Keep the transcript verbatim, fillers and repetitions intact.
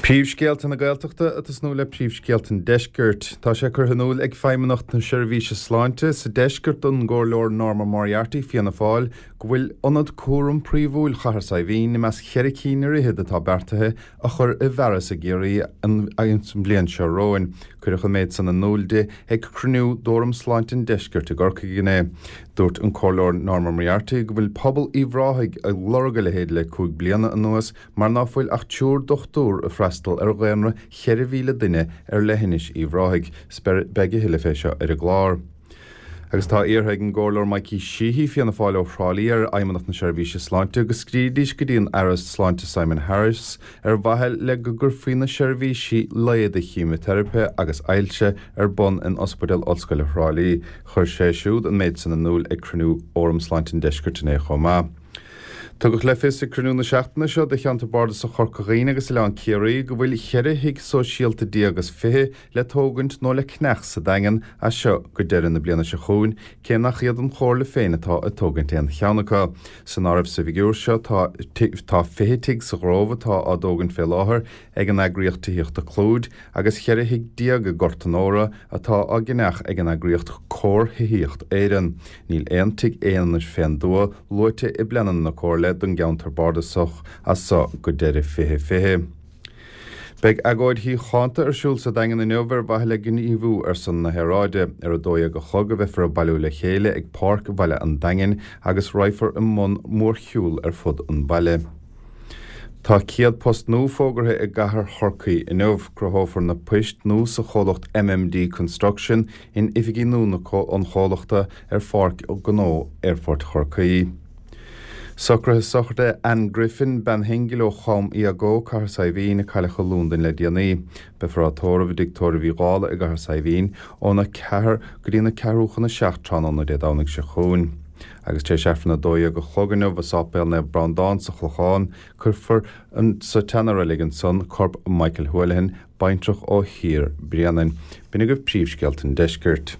Príomhscéalta na Gaeltachta ag tosnú le príomhscéalta an Deiscirt. Tá sé curtha in iúl ag Feidhmeannacht na Seirbhíse Sláinte sa Deisceart don gComhairleoir Norma Moriarty, Fianna Fáil, go bhfuil Ionad Cúram Príomhúil Chathair Saidhbhín i measc cheithre cinn ar fhichead atá beartaithe a chur i bhfearas i gCiarraí an bhliain seo romhainn. Cuireadh an méid san in iúl di ag cruinniú d'Fhóram Sláinte an Deiscirt i gCorcaigh inné. Dúirt an Comhairleoir Norma Moriarty go bhfuil pobal Uíbh Ráthaigh ag lorg a leithéid le cúig bliana anuas mar ná fuil ach triúr dochtúr ag freastal ar dhaonra cheithre mhíle duine ar leithinis Uíbh Ráthaigh. Beidh a thuilleadh fé seo ar an gclár. Agus tá iarrtha ag an gComhairleoir Mikey Sheehy, Fianna Fáil ó Thrá Lí, ar Fheidhmeannacht na Seirbhíse Sláinte go scríobfaidís go dtí an Aire Sláinte Simon Harris ar mhaithe le go gcuirfí na seirbhísí leighis cheimiteiripe agus ailse ar bun in Ospidéal Ollscoile Thrá Lí. Chuir sé siúd an méid san in iúl ag cruinniú Fhóram Sláinte an Deiscirt inné chomh maith. Tugadh le fios ag cruinniú na seachtaine seo de Cheantar Bardasach Chorca Dhuibhne agus Oileán Ciarraí go bhfuil cheithre thigh sóisialta déag is fiche le tógaint nó le ceannach sa Daingean as seo go deireadh na bliana seo chugainn, cé nach iad an Chomhairle féin atá ag tógaint aon cheann acu. San áireamh sa bhfigiúr seo tá tá fiche tigh sa Ghrove atá á dtógaint fé láthair ag an eagraíocht tithíochta Clúid agus cheithre thigh déag i nGort an Óra atá á gceannach ag an eagraíocht Comhar Thithíocht Éireann. Níl aon tigh aonair fén dtuath luaite i bpleananna na Comhairle don gceantar bardasach as seo go deireadh fiche fiche. Beidh agóid shíochánta ar siúl sa Daingean inniu ar mhaithe le gníomhú ar son na haeráide. Ar a dó dhéag a chlog a bheifear ag bailiú le chéile ag Páirc Bhaile an Daingin agus raghfar i mbun mórshiúil ar fud an bhaile. Tá céad post nua fógartha i gcathair Chorcaí inniu. Cruthófar na poist nua sa chomhlacht MMD Construction in oifigí nua an chomhlachta ar Pháirc Ghnó Aerfort Chorcaí. Socruithe sochraide Anne Griffin, bean shingil ó Chom Iagó, Cathair Saidhbhín, a cailleadh i Londain le déanaí. Beifear á tórramh i dTigh Tórraimh Uí Dhálaigh i gCathair Saidhbhín óna ceathair go dtí na ceathrú chun a seacht tráthnóna Dé Domhnaigh seo chugainn. Agus tar éis Aifreann a dó dhéag a chlog inniu i Sáipéal Naomh Breandán sa Chlochán, cuirfear sa tseana-reilig ansan corp Michael Houlihan, baintreach ó Thír Bréanainn. B'in agaibh príomhscéalta an deiscirt.